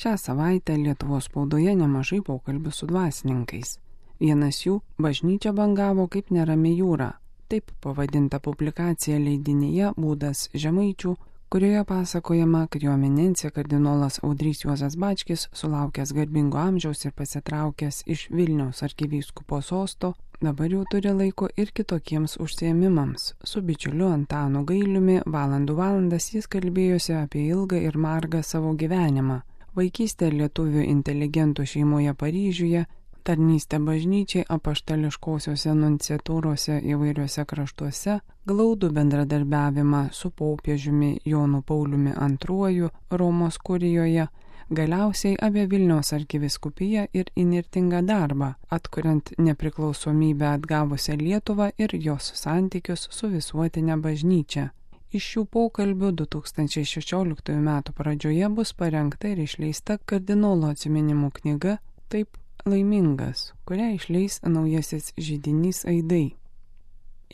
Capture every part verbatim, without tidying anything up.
Šią savaitę Lietuvos spaudoje nemažai pokalbių su dvasininkais. Vienas jų – bažnyčia bangavo kaip nerami jūra. Taip pavadinta publikacija leidinyje Būdas žemaičių, kurioje pasakojama, kad jo eminencija kardinolas Audrys Juozas Bačkis, sulaukęs garbingo amžiaus ir pasitraukęs iš Vilniaus arkivyskupo sosto, dabar jau turi laiko ir kitokiems užsiėmimams. Su bičiuliu Antanu Gailiumi valandų valandas jis kalbėjosi apie ilgą ir margą savo gyvenimą. Vaikystę lietuvių inteligentų šeimoje Paryžiuje, tarnystę bažnyčiai apaštališkosiuose nunciatūrose įvairiuose kraštuose, glaudų bendradarbiavimą su popiežiumi Jonu Pauliumi antruoju Romos kurijoje, galiausiai apie Vilniaus arkivyskupiją ir įnirtingą darbą, atkuriant nepriklausomybę atgavusią Lietuvą ir jos santykius su visuotinė bažnyčia. Iš šių pokalbių du tūkstančiai šešioliktųjų metų pradžioje bus parengta ir išleista kardinolo atsiminimų knyga Taip laimingas, kurią išleis naujasis židinys Aidai.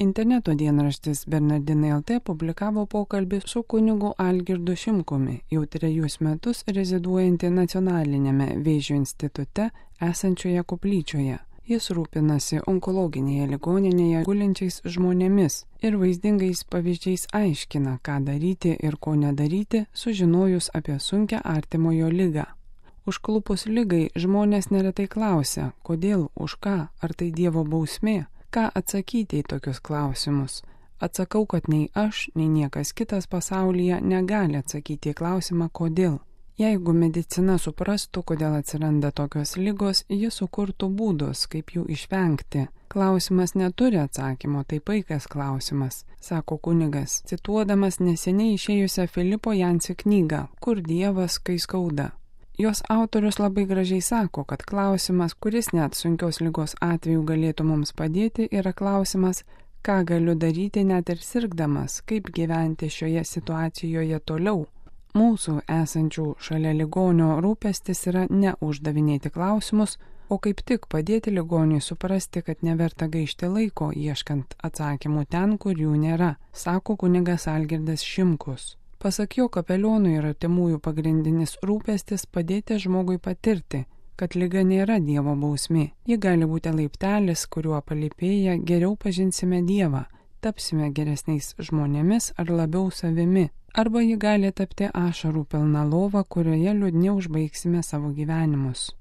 Interneto dienraštis Bernardinai L T publikavo pokalbį su kunigu Algirdu Šimkumi, jau trejus metus reziduojantį Nacionalinėme Vėžio institute esančioje koplyčioje. Jis rūpinasi onkologinėje ligoninėje gulinčiais žmonėmis ir vaizdingais pavyzdžiais aiškina, ką daryti ir ko nedaryti, sužinojus apie sunkią artimojo ligą. Užklupus ligai žmonės neretai klausia, kodėl, už ką, ar tai Dievo bausmė, ką atsakyti į tokius klausimus. Atsakau, kad nei aš, nei niekas kitas pasaulyje negali atsakyti į klausimą, kodėl. Jeigu medicina suprastų, kodėl atsiranda tokios ligos, ji sukurtų būdus, kaip jų išvengti. Klausimas neturi atsakymo, tai paikas klausimas, sako kunigas, cituodamas neseniai išėjusią Filipo Jansi knygą Kur Dievas, kai skauda. Jos autorius labai gražiai sako, kad klausimas, kuris net sunkios ligos atveju galėtų mums padėti, yra klausimas, ką galiu daryti net ir sirgdamas, kaip gyventi šioje situacijoje toliau. Mūsų esančių šalia ligonio rūpestis yra ne uždavinėti klausimus, o kaip tik padėti ligoniui suprasti, kad neverta gaišti laiko ieškant atsakymų ten, kur jų nėra, sako kunigas Algirdas Šimkus. Pasak jo, kapelionų ir artimųjų pagrindinis rūpestis padėti žmogui patirti, kad liga nėra Dievo bausmė. Ji gali būti laiptelis, kuriuo palipėję geriau pažinsime Dievą, tapsime geresniais žmonėmis ar labiau savimi, arba ji gali tapti ašarų pilna lova, kurioje liūdni užbaigsime savo gyvenimus.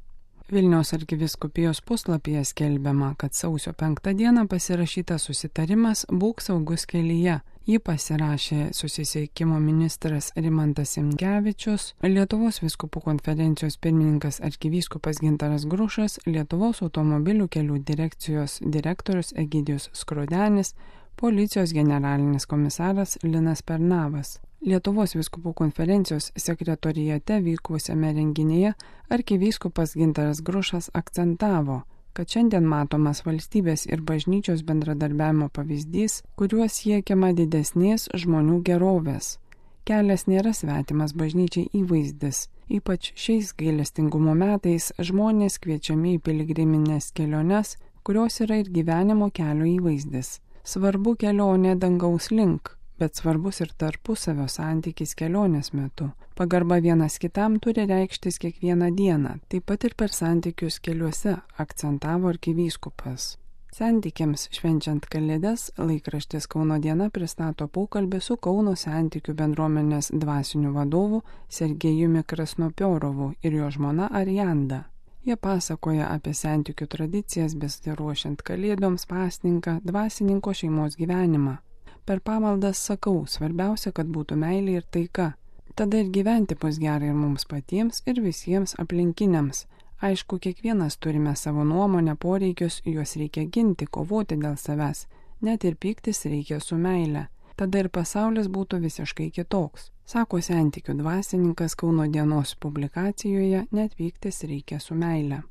Vilniaus arkivyskupijos puslapyje skelbiama, kad sausio penktą dieną pasirašytas susitarimas Būk saugus kelyje. Jį pasirašė susisiekimo ministras Rimantas Simkevičius, Lietuvos vyskupų konferencijos pirmininkas arkivyskupas Gintaras Grušas, Lietuvos automobilių kelių direkcijos direktorius Egidijus Skrudenis, policijos generalinis komisaras Linas Pernavas. Lietuvos vyskupų konferencijos sekretorijate vykusiame renginyje arkivyskupas Gintaras Grušas akcentavo, kad šiandien matomas valstybės ir bažnyčios bendradarbiavimo pavyzdys, kuriuo siekiama didesnės žmonių gerovės. Kelias nėra svetimas bažnyčiai įvaizdis. Ypač šiais gailestingumo metais žmonės kviečiami į piligriminės keliones, kurios yra ir gyvenimo kelio įvaizdis. Svarbu kelionė dangaus link, bet svarbus ir tarpusavio santykis kelionės metu. Pagarba vienas kitam turi reikštis kiekvieną dieną, taip pat ir per santykius keliuose, akcentavo arkivyskupas. Santykiams švenčiant Kalėdas laikraštis Kauno diena pristato pokalbį su Kauno santykių bendruomenės dvasiniu vadovu Sergejumi Krasnopiorovu ir jo žmona Arianda. Jie pasakoja apie santykių tradicijas besiruošiant Kalėdoms, pasninką, dvasininko šeimos gyvenimą. Per pamaldas sakau, svarbiausia, kad būtų meilė ir taika. Tada ir gyventi bus gerai ir mums patiems, ir visiems aplinkiniams. Aišku, kiekvienas turime savo nuomonę, poreikius, juos reikia ginti, kovoti dėl savęs. Net ir pyktis reikia su meile. Tada ir pasaulis būtų visiškai kitoks. Sako santykių dvasininkas Kauno dienos publikacijoje, net pyktis reikia su meile.